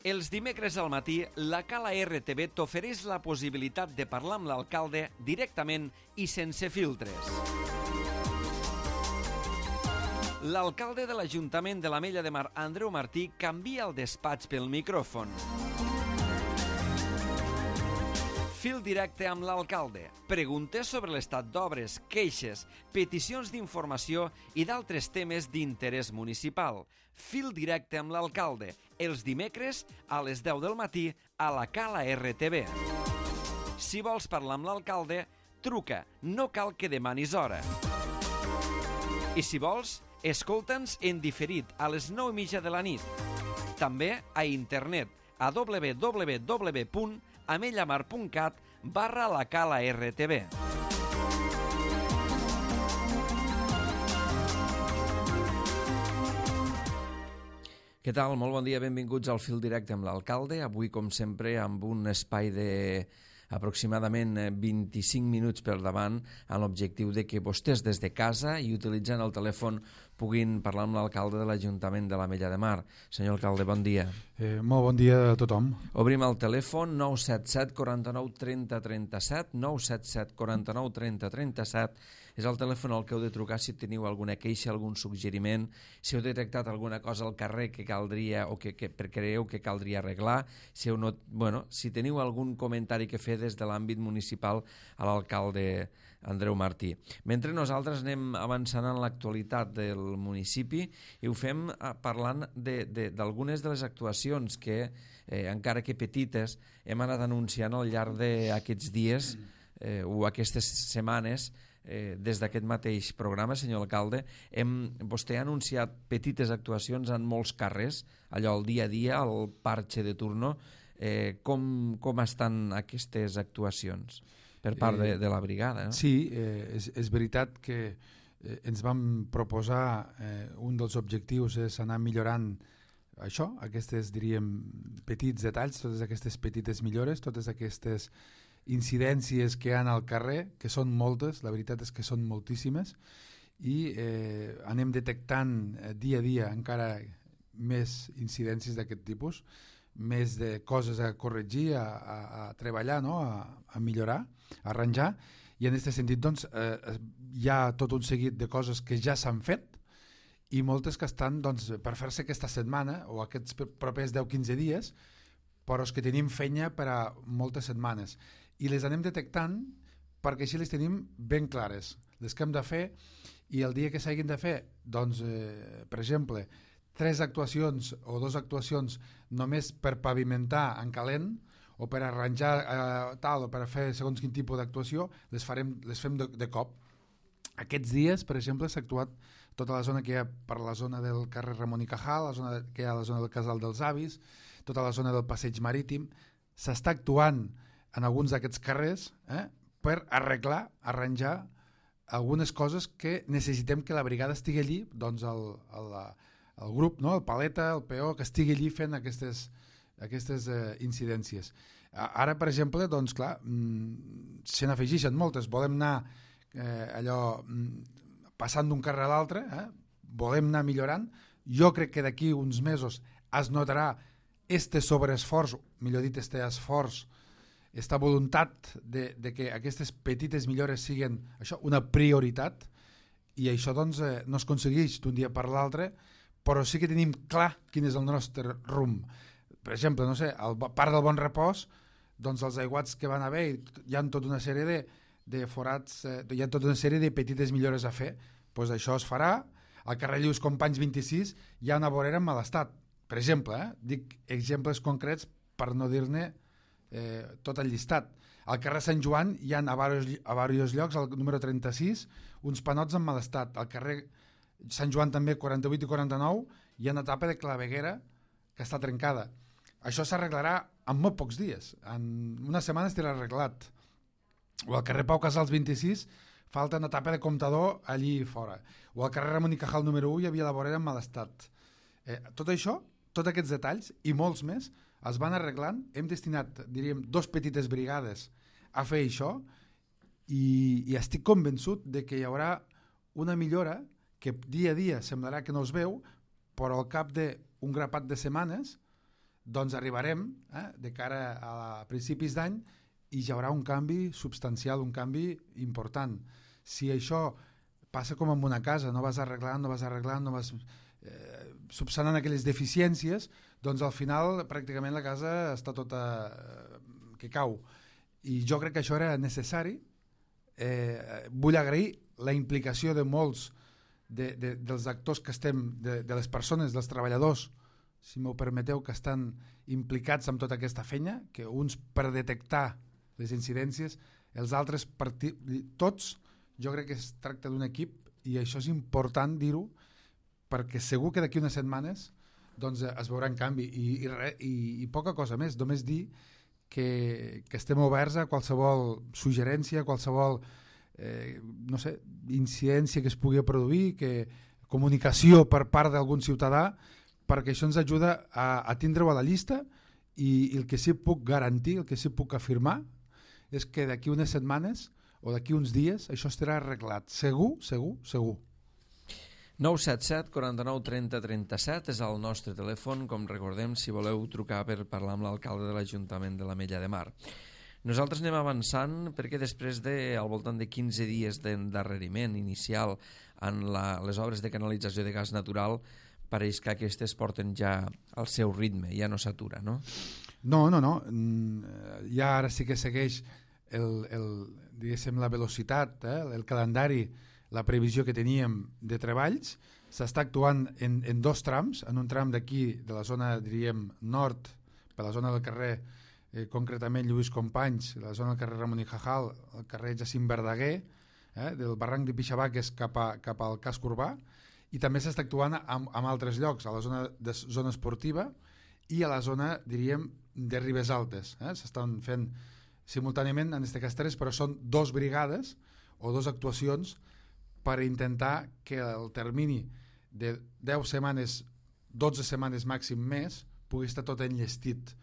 Els dimecres al matí, la Cala RTV t'ofereix la possibilitat de parlar amb l'alcalde directament i sense filtres. L'alcalde de l'Ajuntament de l'Ametlla de Mar, Andreu Martí, canvia el despatx pel micròfon. Fil directe amb l'alcalde. Preguntes sobre l'estat d'obres, queixes, peticions d'informació i d'altres temes d'interès municipal. Fil directe amb l'alcalde. Els dimecres a les 10 del matí a la Cala RTV. Si vols parlar amb l'alcalde, truca. No cal que demanis hora. I si vols, escolta'ns en diferit a les 9:30 de la nit. També a internet a www.amellamar.cat/la Cala RTV. Què tal? Molt bon dia, benvinguts al Fil Directe amb l'alcalde. Avui, com sempre, amb un espai de aproximadament 25 minuts per davant amb l'objectiu de que vostès des de casa i utilitzant el telèfon puguin parlar amb l'alcalde de l'Ajuntament de l'Ametlla de Mar. Senyor alcalde, bon dia. Molt bon dia a tothom. Obrim el telèfon 977 49 30 37, 977 49 30 37. És el telèfon al que heu de trucar si teniu alguna queixa, algun suggeriment, si heu detectat alguna cosa al carrer que caldria o que creieu que caldria arreglar, si teniu algun comentari que fer des de l'àmbit municipal a l'alcalde Andreu Martí. Mentre nosaltres anem avançant en l'actualitat del municipi i ho fem parlant d'algunes de les actuacions que, encara que petites, hem anat anunciant al llarg d'aquests dies o aquestes setmanes. Des d'aquest mateix programa, senyor alcalde, vostè ha anunciat petites actuacions en molts carrers, allò el dia a dia, el parche de turno. Com estan aquestes actuacions per part de la brigada? No? Sí, és veritat que ens vam proposar, un dels objectius és anar millorant això, aquestes, diríem, petits detalls, totes aquestes petites millores, totes aquestes incidències que hi ha al carrer, que són moltes, la veritat és que són moltíssimes, i anem detectant dia a dia encara més incidències d'aquest tipus, més de coses a corregir, a treballar, no? a millorar, a arranjar, i en aquest sentit doncs, hi ha tot un seguit de coses que ja s'han fet i moltes que estan doncs, per fer-se aquesta setmana o aquests propers 10-15 dies, però és que tenim feina per a moltes setmanes i les anem detectant perquè així les tenim ben clares, les que hem de fer, i el dia que s'hagin de fer, doncs, per exemple, 3 actuacions o 2 actuacions només per pavimentar en calent o per arranjar tal o per fer segons quin tipus d'actuació, les fem de cop. Aquests dies, per exemple, s'ha actuat tota la zona que hi ha per la zona del carrer Ramon i Cajal, la zona que hi ha la zona del Casal dels Avis, tota la zona del Passeig Marítim. S'està actuant en alguns d'aquests carrers per arranjar algunes coses que necessitem que la brigada estigui allí, doncs el grup, no? El paleta, el PO, que estigui allí fent aquestes incidències. Ara, per exemple, doncs clar, se n'afegeixen moltes. Volem anar passant d'un carrer a l'altre, volem anar millorant. Jo crec que d'aquí uns mesos es notarà este sobreesforç, millor dit, este esforç, esta voluntat de que aquestes petites millores siguin això, una prioritat, i això doncs, no es aconsegueix d'un dia per l'altre, però sí que tenim clar quin és el nostre rumb. Per exemple, no sé, al parc del Bon Repòs, doncs els aiguats que van haver, hi ha tota una sèrie de forats, hi ha tota una sèrie de petites millores a fer, doncs això es farà. Al carrer Lluís Companys 26 hi ha una vorera en mal estat, per exemple, dic exemples concrets per no dir-ne tot el llistat. Al carrer Sant Joan hi ha a diversos llocs, al número 36, uns panots en mal estat. Al carrer Sant Joan també, 48 i 49, hi ha una tapa de claveguera que està trencada. Això s'arreglarà en molt pocs dies. En una setmana estarà arreglat. O al carrer Pau Casals 26 falta una tapa de comptador allí fora. O al carrer Ramon i Cajal número 1 hi havia la vorera en mal estat. Tot això, tots aquests detalls i molts més es van arreglant. Hem destinat, diríem, 2 petites brigades a fer això i estic convençut de que hi haurà una millora que dia a dia semblarà que no es veu, però al cap d'un grapat de setmanes doncs arribarem de cara a principis d'any i hi haurà un canvi substancial, un canvi important. Si això passa com en una casa, no vas arreglant, no vas subsanant aquelles deficiències, doncs al final pràcticament la casa està tota que cau. I jo crec que això era necessari. Vull agrair la implicació de molts dels actors que estem, de les persones, dels treballadors, si m'ho permeteu, que estan implicats en tota aquesta feina, que uns per detectar les incidències, els altres tots, jo crec que es tracta d'un equip i això és important dir-ho perquè segur que d'aquí unes setmanes doncs es veurà en canvi i poca cosa més, només dir que estem oberts a qualsevol suggerència, qualsevol no sé, incidència que es pugui produir, comunicació per part d'algun ciutadà, perquè això ens ajuda a tindre-ho a la llista i el que sí puc garantir, el que sí puc afirmar és que d'aquí unes setmanes o d'aquí uns dies això estarà arreglat, segur. 977 49 30 37 és el nostre telèfon, com recordem, si voleu trucar per parlar amb l'alcalde de l'Ajuntament de l'Ametlla de Mar. Nosaltres anem avançant perquè després al voltant de 15 dies d'endarreriment inicial en les obres de canalització de gas natural, pareix que aquestes porten ja el seu ritme, ja no s'atura, no? No. Ja ara sí que segueix diguéssim, la velocitat, el calendari, la previsió que teníem de treballs. S'està actuant en dos trams, en un tram d'aquí, de la zona, diríem, nord, per la zona del carrer, concretament Lluís Companys, la zona del carrer Ramon y Cajal, el carrer Jacint Verdaguer, del barranc de Pixabaques cap al casc urbà, i també s'està actuant en altres llocs, a la zona esportiva i a la zona, diríem, de Ribes Altes. S'estan fent simultàniament, en aquest cas 3, però són 2 brigades o 2 actuacions per intentar que el termini de 10 setmanes, 12 setmanes màxim més, pugui estar tot enllestit.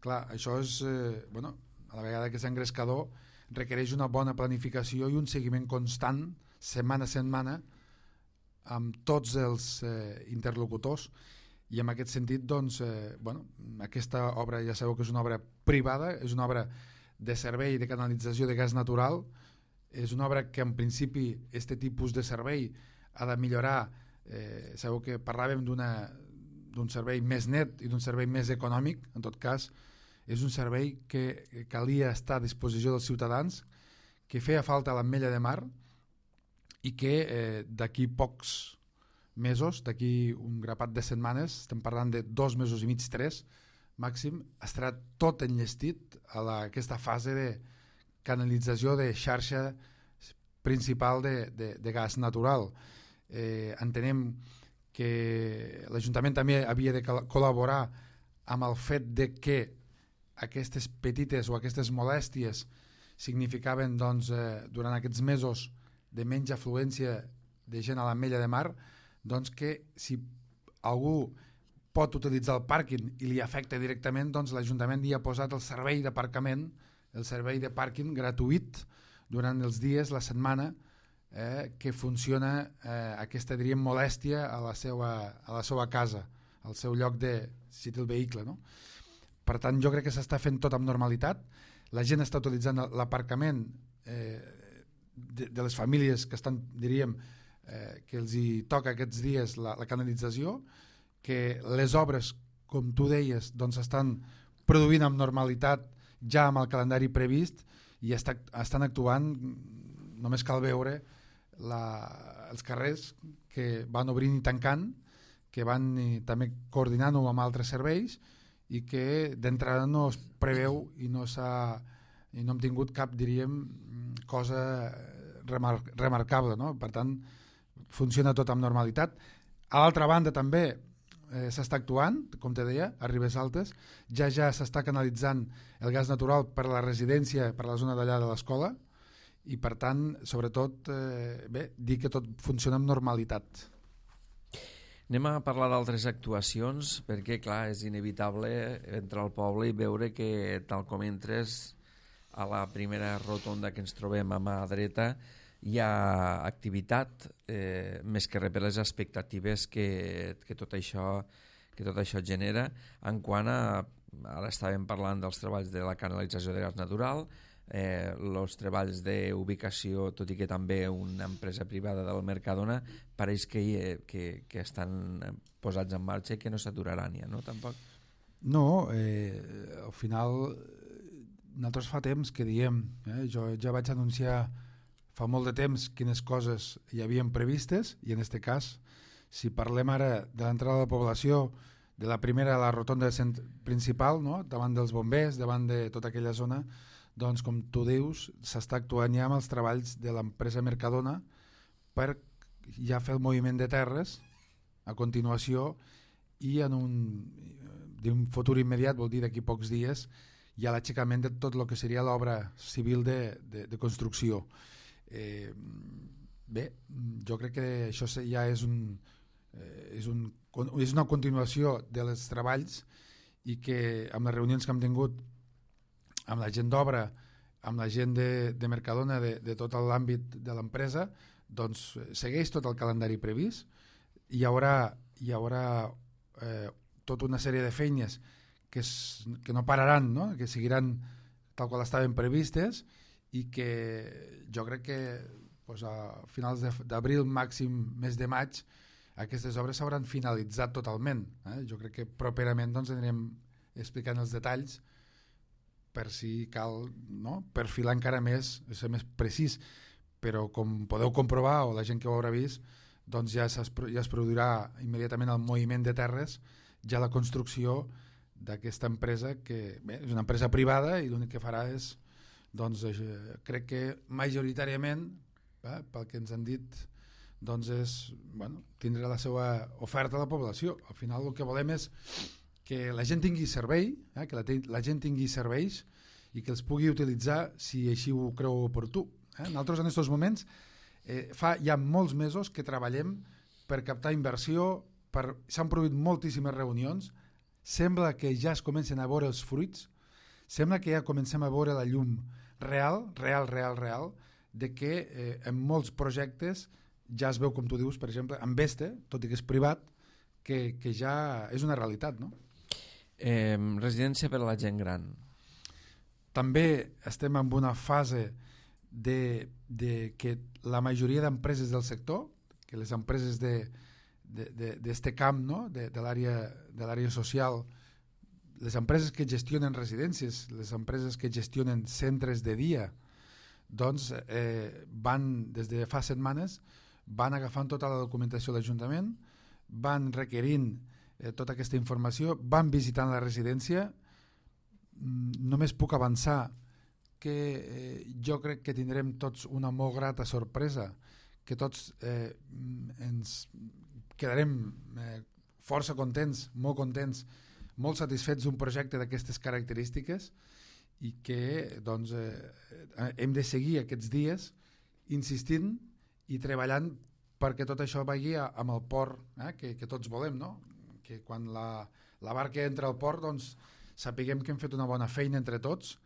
Clar, això és, a la vegada que és engrescador, requereix una bona planificació i un seguiment constant, setmana a setmana, amb tots els interlocutors, i en aquest sentit, doncs, aquesta obra ja sabeu que és una obra privada, és una obra de servei de canalització de gas natural, és una obra que en principi aquest tipus de servei ha de millorar, sabeu que parlàvem d'un servei més net i d'un servei més econòmic, en tot cas és un servei que calia estar a disposició dels ciutadans, que feia falta a l'Ametlla de Mar i que d'aquí pocs mesos, d'aquí un grapat de setmanes, estem parlant de 2 mesos i mig, 3 màxim, estarà tot enllestit a aquesta fase de canalització de xarxa principal de gas natural. Entenem que l'Ajuntament també havia de col·laborar amb el fet de que aquestes petites o aquestes molèsties significaven doncs, durant aquests mesos de menys afluència de gent a l'Ametlla de Mar, doncs que si algú pot utilitzar el pàrquing i li afecta directament, doncs l'Ajuntament hi ha posat el servei d'aparcament, el servei de pàrquing gratuït durant els dies, la setmana, que funciona aquesta, diríem, molèstia a la seva casa, al seu lloc de, si té el vehicle, no? Per tant, jo crec que s'està fent tot amb normalitat, la gent està utilitzant l'aparcament de les famílies que estan, diríem, que els hi toca aquests dies la canalització, que les obres, com tu deies, doncs estan produint amb normalitat ja amb el calendari previst i estan actuant, només cal veure els carrers que van obrint i tancant, que van també coordinant-ho amb altres serveis i que d'entrada no es preveu i no hem tingut cap, diríem, cosa remarcable, no? Per tant, funciona tot amb normalitat. A l'altra banda també s'està actuant, com te deia, a Ribes Altes, ja s'està canalitzant el gas natural per la residència, per la zona d'allà de l'escola, i per tant, sobretot, dir que tot funciona amb normalitat. Anem a parlar d'altres actuacions, perquè, clar, és inevitable entrar al poble i veure que, tal com entres a la primera rotonda que ens trobem a mà dreta, hi ha activitat, més que res per les expectatives que tot això genera en quant a ara estàvem parlant dels treballs de la canalització de gas natural, els treballs d'ubicació, tot i que també una empresa privada del Mercadona, pareix que estan posats en marxa i que no s'aturaran ja, no? Tampoc? No, al final nosaltres fa temps que diem, jo ja vaig anunciar fa molt de temps quines coses hi havien previstes, i en aquest cas, si parlem ara de l'entrada de la població, de la primera a la rotonda principal, no? Davant dels bombers, davant de tota aquella zona, doncs com tu dius, s'està actuant ja amb els treballs de l'empresa Mercadona per ja fer el moviment de terres a continuació, i en un futur immediat, vol dir d'aquí pocs dies, hi ha l'aixecament de tot el que seria l'obra civil de construcció. Bé, jo crec que això ja és una continuació dels treballs, i que amb les reunions que hem tingut amb la gent d'obra, amb la gent de Mercadona, de tot l'àmbit de l'empresa, doncs segueix tot el calendari previst. Hi haurà tota una sèrie de feines que no pararan, no? Que seguiran tal qual estaven previstes, i que jo crec que a finals d'abril, màxim mes de maig, aquestes obres s'hauran finalitzat totalment. Jo crec que properament anirem explicant els detalls per si cal, no? Perfilar encara més, ser més precís, però com podeu comprovar, o la gent que ho haurà vist, doncs ja es produirà immediatament el moviment de terres, ja la construcció d'aquesta empresa, que bé, és una empresa privada, i l'únic que farà és, doncs, crec que majoritàriament, pel que ens han dit, doncs és tindre la seva oferta a la població. Al final el que volem és que la gent tingui servei, que la gent tingui serveis, i que els pugui utilitzar si així ho creu oportú. Nosaltres en aquests moments fa ja molts mesos que treballem per captar inversió, s'han produït moltíssimes reunions, sembla que ja es comencen a veure els fruits, sembla que ja comencem a veure la llum real, de que en molts projectes ja es veu, com tu dius, per exemple, en Veste, tot i que és privat, que ja és una realitat, no? Residència per a la gent gran. També estem en una fase de que la majoria d'empreses del sector, que les empreses d'este camp, no? de l'àrea social, les empreses que gestionen residències, les empreses que gestionen centres de dia, doncs van, des de fa setmanes, van agafant tota la documentació de l'Ajuntament, van requerint tota aquesta informació, van visitant la residència. Només puc avançar que jo crec que tindrem tots una molt grata sorpresa, que tots ens quedarem força contents, molt satisfets d'un projecte d'aquestes característiques, i que doncs, hem de seguir aquests dies insistint i treballant perquè tot això vagi amb el port que tots volem, no? Que quan la barca entra al port, doncs, sapiguem que hem fet una bona feina entre tots,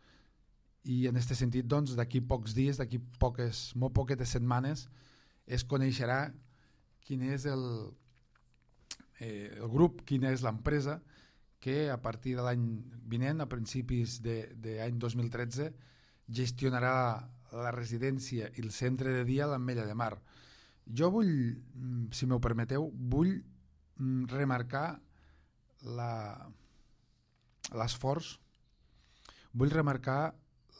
i en aquest sentit, doncs, d'aquí pocs dies, d'aquí molt poquetes setmanes, es coneixerà quin és el grup, quina és l'empresa que a partir de l'any vinent, a principis de l'any 2013, gestionarà la residència i el centre de dia a l'Ametlla de Mar. Jo vull, si m'ho permeteu, vull remarcar l'esforç, vull remarcar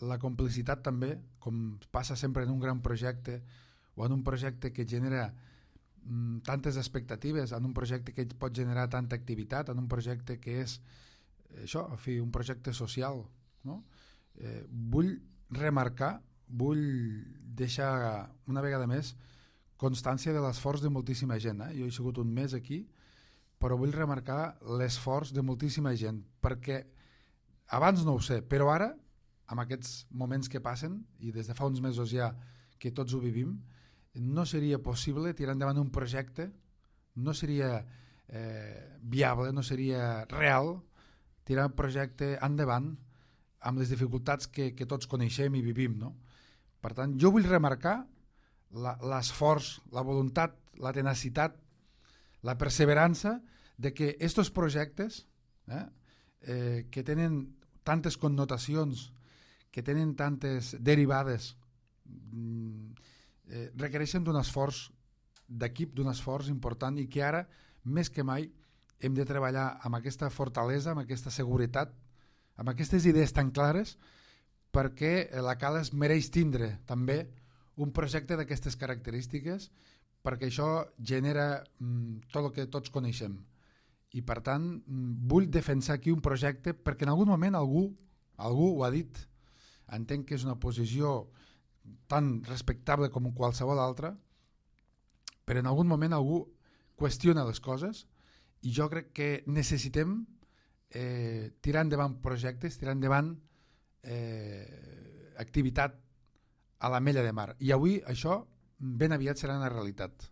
la complicitat també, com passa sempre en un gran projecte, o en un projecte que genera tantes expectatives, en un projecte que pot generar tanta activitat, en un projecte que és això, en fi, un projecte social, no? Vull remarcar, vull deixar una vegada més constància de l'esforç de moltíssima gent. Jo he sigut un mes aquí, però vull remarcar l'esforç de moltíssima gent, perquè abans no ho sé, però ara, amb aquests moments que passen, i des de fa uns mesos ja que tots ho vivim, no seria possible tirar endavant un projecte, no seria viable, no seria real tirar un projecte endavant amb les dificultats que tots coneixem i vivim, no? Per tant, jo vull remarcar l'esforç, la voluntat, la tenacitat, la perseverança de que estos projectes que tenen tantes connotacions, que tenen tantes derivades, requereixen d'un esforç d'equip, d'un esforç important, i que ara, més que mai, hem de treballar amb aquesta fortalesa, amb aquesta seguretat, amb aquestes idees tan clares, perquè la Cala es mereix tindre també un projecte d'aquestes característiques, perquè això genera tot el que tots coneixem. I per tant vull defensar aquí un projecte perquè en algun moment algú ho ha dit. Entenc que és una posició tan respectable com qualsevol altra, però en algun moment algú qüestiona les coses, i jo crec que necessitem tirar endavant projectes, tirar endavant activitat a l'Ametlla de Mar, i avui això ben aviat serà una realitat.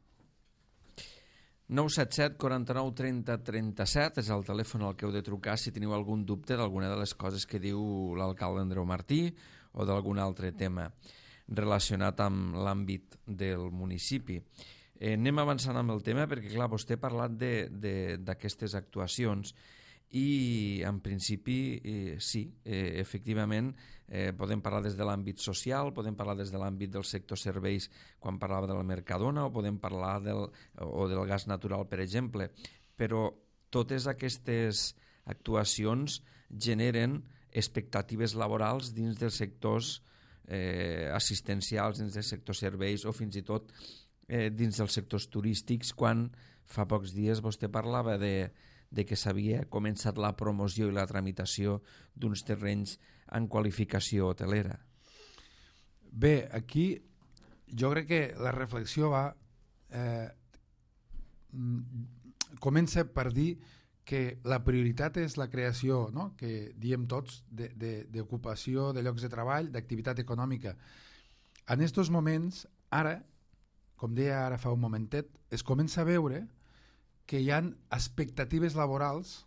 977 49 30 37 és el telèfon al que heu de trucar si teniu algun dubte d'alguna de les coses que diu l'alcalde Andreu Martí o d'algun altre tema relacionat amb l'àmbit del municipi. Anem avançant amb el tema perquè, clar, vostè ha parlat d'aquestes actuacions i, en principi, sí, efectivament, podem parlar des de l'àmbit social, podem parlar des de l'àmbit del sector serveis quan parlava de la Mercadona, o podem parlar del gas natural, per exemple, però totes aquestes actuacions generen expectatives laborals dins dels sectors assistencials, dins del sector serveis o fins i tot dins dels sectors turístics, quan fa pocs dies vostè parlava de que s'havia començat la promoció i la tramitació d'uns terrenys en qualificació hotelera. Bé, aquí jo crec que la reflexió comença per dir que la prioritat és la creació, no?, que diem tots, d'ocupació, de llocs de treball, d'activitat econòmica. En aquests moments, ara, com deia ara fa un momentet, es comença a veure que hi ha expectatives laborals,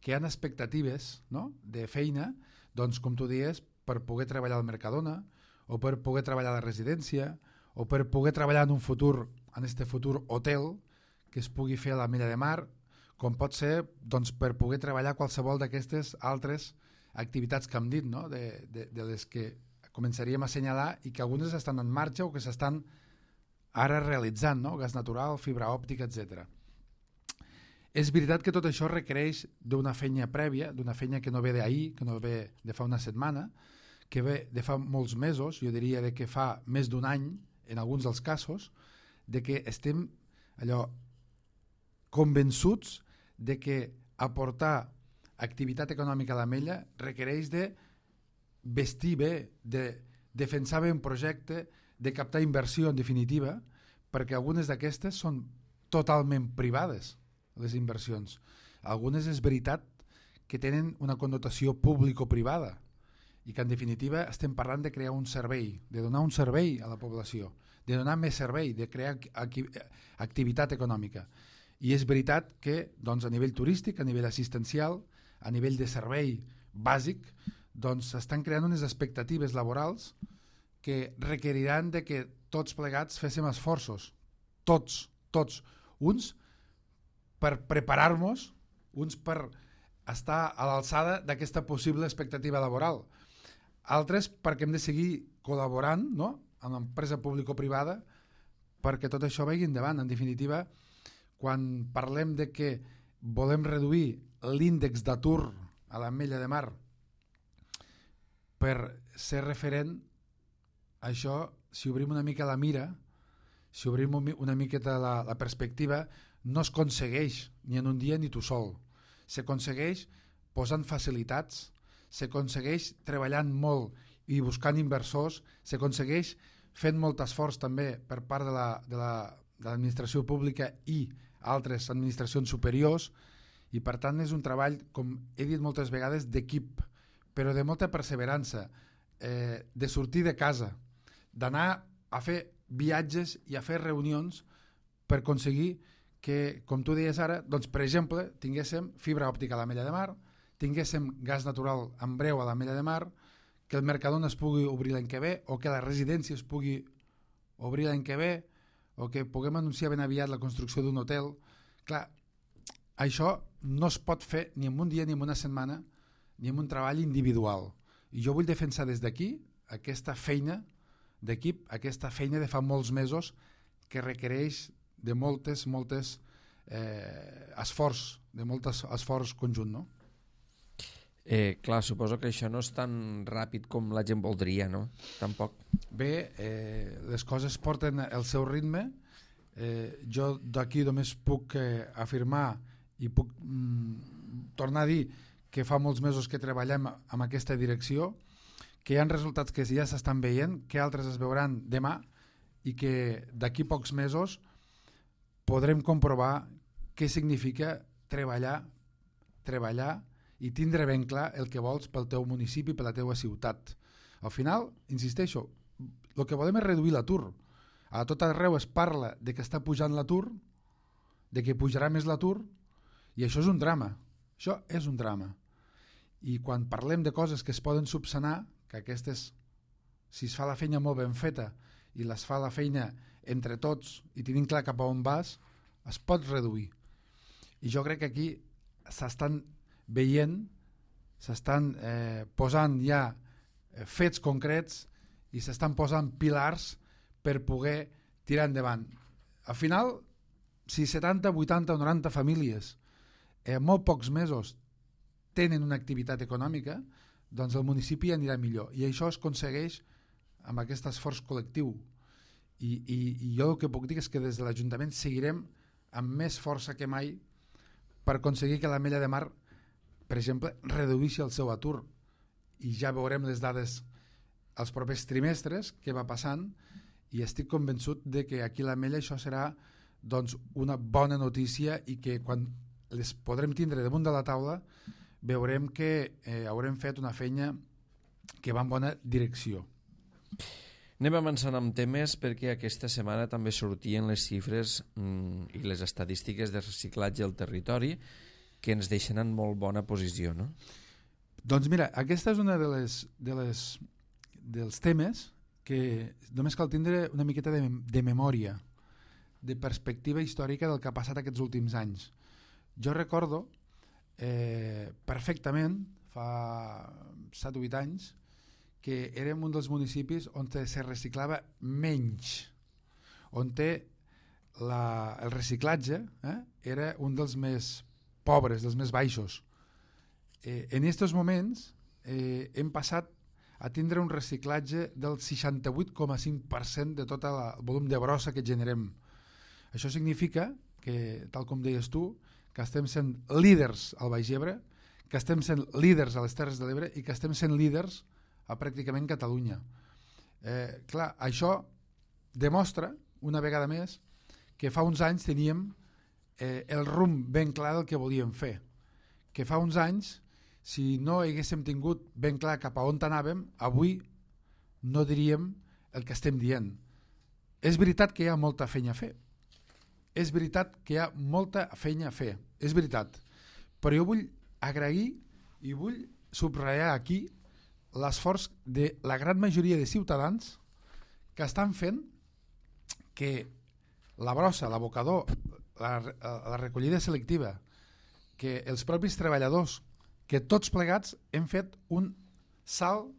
que hi ha expectatives, no?, de feina, doncs, com tu dius, per poder treballar al Mercadona, o per poder treballar a la residència, o per poder treballar en un futur, en este futur hotel, que es pugui fer a l'Ametlla de Mar, com pot ser, doncs, per poder treballar qualsevol d'aquestes altres activitats que hem dit, no?, de les que començaríem a assenyalar i que algunes estan en marxa o que s'estan ara realitzant, no?, gas natural, fibra òptica, etc. És veritat que tot això requereix d'una feina prèvia, d'una feina que no ve d'ahir, que no ve de fa una setmana, que ve de fa molts mesos, jo diria de que fa més d'un any, en alguns dels casos, de que estem allò convençuts de que aportar activitat econòmica a l'Ametlla requereix de vestir bé, de defensar bé un projecte, de captar inversió, en definitiva, perquè algunes d'aquestes són totalment privades, les inversions. Algunes és veritat que tenen una connotació público-privada i que, en definitiva, estem parlant de crear un servei, de donar un servei a la població, de donar més servei, de crear activitat econòmica. I és veritat que, doncs, a nivell turístic, a nivell assistencial, a nivell de servei bàsic, doncs s'estan creant unes expectatives laborals que requeriran de que tots plegats féssim esforços, tots, uns per preparar-nos, uns per estar a l'alçada d'aquesta possible expectativa laboral, altres perquè hem de seguir col·laborant, no?, amb l'empresa público-privada perquè tot això vagi endavant. En definitiva, quan parlem de que volem reduir l'índex d'atur a l'Ametlla de Mar per ser referent, això, si obrim una mica la mira, si obrim una miqueta la perspectiva, no es aconsegueix ni en un dia ni tu sol. S'aconsegueix posant facilitats, s'aconsegueix treballant molt i buscant inversors, s'aconsegueix fent molt esforç també per part de l'administració pública i altres administracions superiors, i per tant és un treball, com he dit moltes vegades, d'equip, però de molta perseverança, de sortir de casa, d'anar a fer viatges i a fer reunions per aconseguir que, com tu deies ara, doncs, per exemple, tinguéssim fibra òptica a l'Ametlla de Mar, tinguéssim gas natural en breu a l'Ametlla de Mar, que el Mercadona es pugui obrir l'any que ve, o que la residència es pugui obrir l'any que ve, o que puguem anunciar ben aviat la construcció d'un hotel. Clar, això no es pot fer ni en un dia, ni en una setmana, ni en un treball individual. I jo vull defensar des d'aquí aquesta feina d'equip, aquesta feina de fa molts mesos que requereix de moltes esforç, de molt esforç conjunt, no? Clar, suposo que això no és tan ràpid com la gent voldria, no? Tampoc. Bé, les coses porten el seu ritme. Jo d'aquí només puc afirmar i puc tornar a dir que fa molts mesos que treballem en aquesta direcció, que hi ha resultats que ja s'estan veient, que altres es veuran demà i que d'aquí pocs mesos podrem comprovar què significa treballar i tindre ben clar el que vols pel teu municipi, per la teua ciutat. Al final, insisteixo, el que volem és reduir l'atur. A tot arreu es parla de que està pujant l'atur, de que pujarà més l'atur, i això és un drama. Això és un drama. I quan parlem de coses que es poden subsanar, que aquestes, si es fa la feina molt ben feta i les fa la feina entre tots i tenim clar cap a on vas, es pot reduir. I jo crec que aquí s'estan veient, s'estan posant ja fets concrets i s'estan posant pilars per poder tirar endavant. Al final, si 70, 80 o 90 famílies en molt pocs mesos tenen una activitat econòmica, doncs el municipi anirà millor. I això es aconsegueix amb aquest esforç col·lectiu. I jo el que puc dir és que des de l'Ajuntament seguirem amb més força que mai per aconseguir que l'Ametlla de Mar, per exemple, reduïssi el seu atur. I ja veurem les dades els propers trimestres que va passant i estic convençut de que aquí a l'Ametlla això serà doncs, una bona notícia i que quan les podrem tindre damunt de la taula veurem que haurem fet una feina que va en bona direcció. Anem avançant amb temes perquè aquesta setmana també sortien les xifres i les estadístiques de reciclatge al territori que ens deixen en molt bona posició, no? Doncs mira, aquesta és una dels temes que només cal tindre una miqueta de memòria, de perspectiva històrica del que ha passat aquests últims anys. Jo recordo perfectament, fa 7 o 8 anys, que érem un dels municipis on se reciclava menys, on el reciclatge era un dels més pobres, dels més baixos. En aquests moments hem passat a tindre un reciclatge del 68,5% de tot el volum de brossa que generem. Això significa que, tal com deies tu, que estem sent líders al Baix Ebre, que estem sent líders a les Terres de l'Ebre i que estem sent líders a pràcticament Catalunya. Clar, això demostra, una vegada més, que fa uns anys teníem el rumb ben clar del que volíem fer. Que fa uns anys, si no haguéssim tingut ben clar cap a on anàvem, avui no diríem el que estem dient. És veritat que hi ha molta feina a fer. És veritat que hi ha molta feina a fer. És veritat. Però jo vull agrair i vull subratllar aquí l'esforç de la gran majoria de ciutadans que estan fent que la brossa, l'abocador, la recollida selectiva, que els propis treballadors, que tots plegats hem fet un salt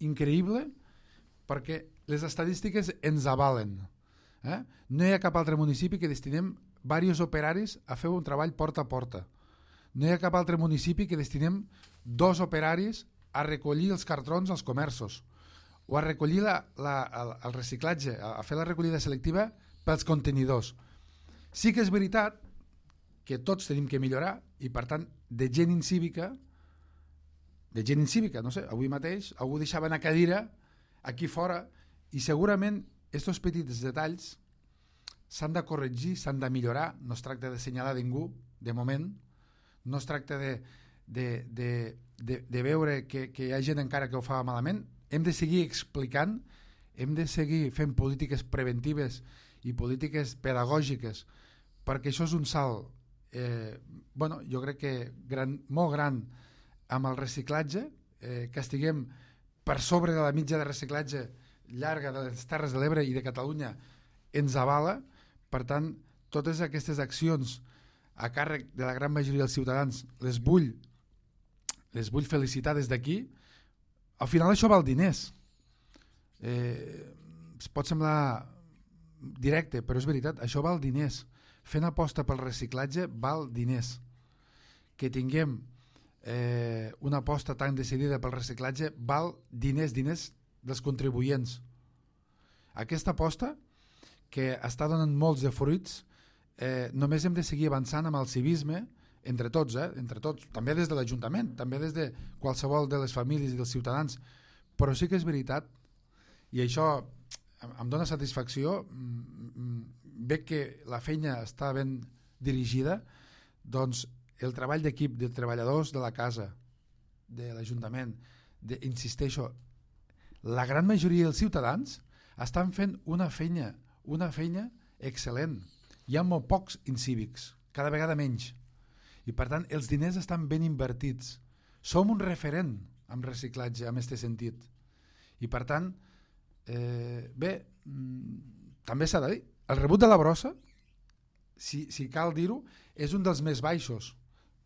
increïble perquè les estadístiques ens avalen. No hi ha cap altre municipi que destinem diversos operaris a fer un treball porta a porta. No hi ha cap altre municipi que destinem 2 operaris a recollir els cartrons als comerços o a recollir el reciclatge, a fer la recollida selectiva pels contenidors. Sí que és veritat que tots tenim que millorar i, per tant, de gent incívica, no sé, avui mateix algú deixava una cadira aquí fora i segurament aquests petits detalls s'han de corregir, s'han de millorar. No es tracta d'assenyalar ningú, de moment. No es tracta de veure que hi ha gent encara que ho fa malament. Hem de seguir explicant, hem de seguir fent polítiques preventives i polítiques pedagògiques, perquè això és un salt jo crec que molt gran amb el reciclatge, que estiguem per sobre de la mitja de reciclatge llarga de les Terres de l'Ebre i de Catalunya ens avala. Per tant, totes aquestes accions a càrrec de la gran majoria dels ciutadans, les vull felicitar des d'aquí. Al final això val diners. Pot semblar directe, però és veritat, això val diners. Fent aposta pel reciclatge val diners. Que tinguem una aposta tan decidida pel reciclatge val diners dels contribuents. Aquesta aposta, que està donant molts de fruits, només hem de seguir avançant amb el civisme entre tots, també des de l'Ajuntament, també des de qualsevol de les famílies i dels ciutadans, però sí que és veritat, i això em dona satisfacció, veig que la feina està ben dirigida, doncs el treball d'equip de treballadors de la casa, de l'Ajuntament, insisteixo, la gran majoria dels ciutadans estan fent una feina excel·lent. Hi ha molt pocs incívics, cada vegada menys. I per tant, els diners estan ben invertits. Som un referent en reciclatge, en aquest sentit. I per tant, també s'ha de dir, el rebut de la brossa, si cal dir-ho, és un dels més baixos.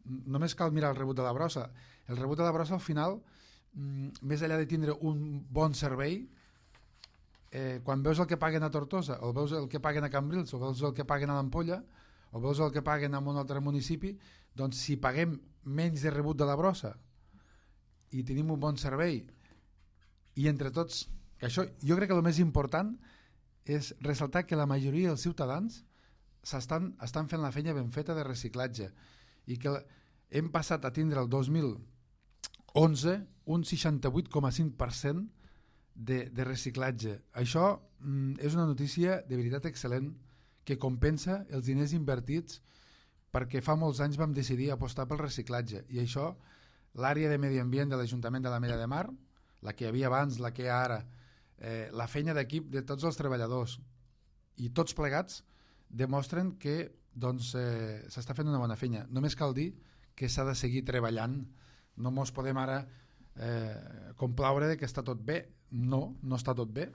Només cal mirar el rebut de la brossa. El rebut de la brossa, al final, més enllà de tindre un bon servei, quan veus el que paguen a Tortosa, o veus el que paguen a Cambrils, o veus el que paguen a l'Ampolla, o veus el que paguen en un altre municipi, doncs si paguem menys de rebut de la brossa i tenim un bon servei, i entre tots, que això, jo crec que el més important és ressaltar que la majoria dels ciutadans estan fent la feina ben feta de reciclatge, i que hem passat a tindre el 2011 un 68,5% de reciclatge. Això és una notícia de veritat excel·lent, que compensa els diners invertits, perquè fa molts anys vam decidir apostar pel reciclatge, i això l'àrea de medi ambient de l'Ajuntament de l'Ametlla de Mar, la que hi havia abans, la que hi ha ara, la feina d'equip de tots els treballadors i tots plegats demostren que s'està fent una bona feina. Només cal dir que s'ha de seguir treballant. No ens podem ara complaure que està tot bé. No està tot bé,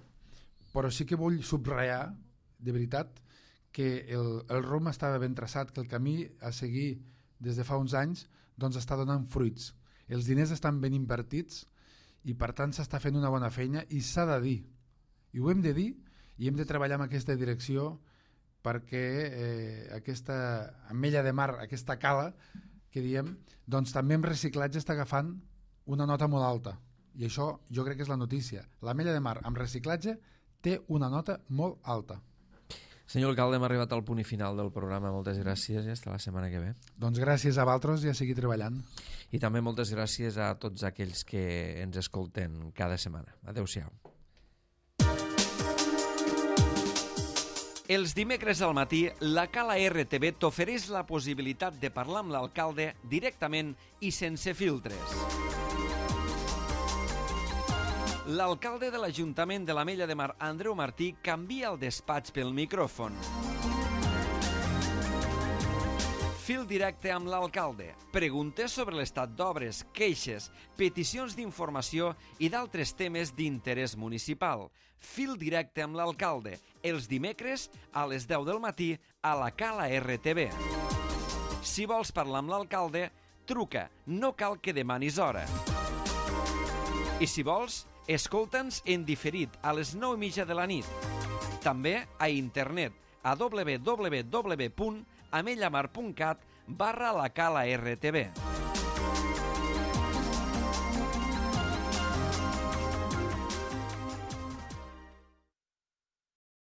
però sí que vull subratllar de veritat que el rumb estava ben traçat, que el camí a seguir des de fa uns anys doncs està donant fruits. Els diners estan ben invertits i per tant s'està fent una bona feina, i s'ha de dir, i ho hem de dir, i hem de treballar en aquesta direcció, perquè aquesta Ametlla de Mar, aquesta cala que diem, doncs també en reciclatge està agafant una nota molt alta, i això jo crec que és la notícia. L'Ametlla de Mar amb reciclatge té una nota molt alta. Senyor alcalde, hem arribat al punt i final del programa. Moltes gràcies i fins la setmana que ve. Doncs gràcies a vosaltres i a seguir treballant. I també moltes gràcies a tots aquells que ens escolten cada setmana. Adéu-siau. Els dimecres al matí, la Cala RTV t'ofereix la possibilitat de parlar amb l'alcalde directament i sense filtres. L'alcalde de l'Ajuntament de l'Ametlla de Mar, Andreu Martí, canvia el despatx pel micròfon. Fil directe amb l'alcalde. Preguntes sobre l'estat d'obres, queixes, peticions d'informació i d'altres temes d'interès municipal. Fil directe amb l'alcalde. Els dimecres a les 10 del matí a la Cala RTV. Si vols parlar amb l'alcalde, truca. No cal que demanis hora. I si vols, escolta'ns en diferit a les 9:30 de la nit. També a internet a www.amellamar.cat/la Cala RTV.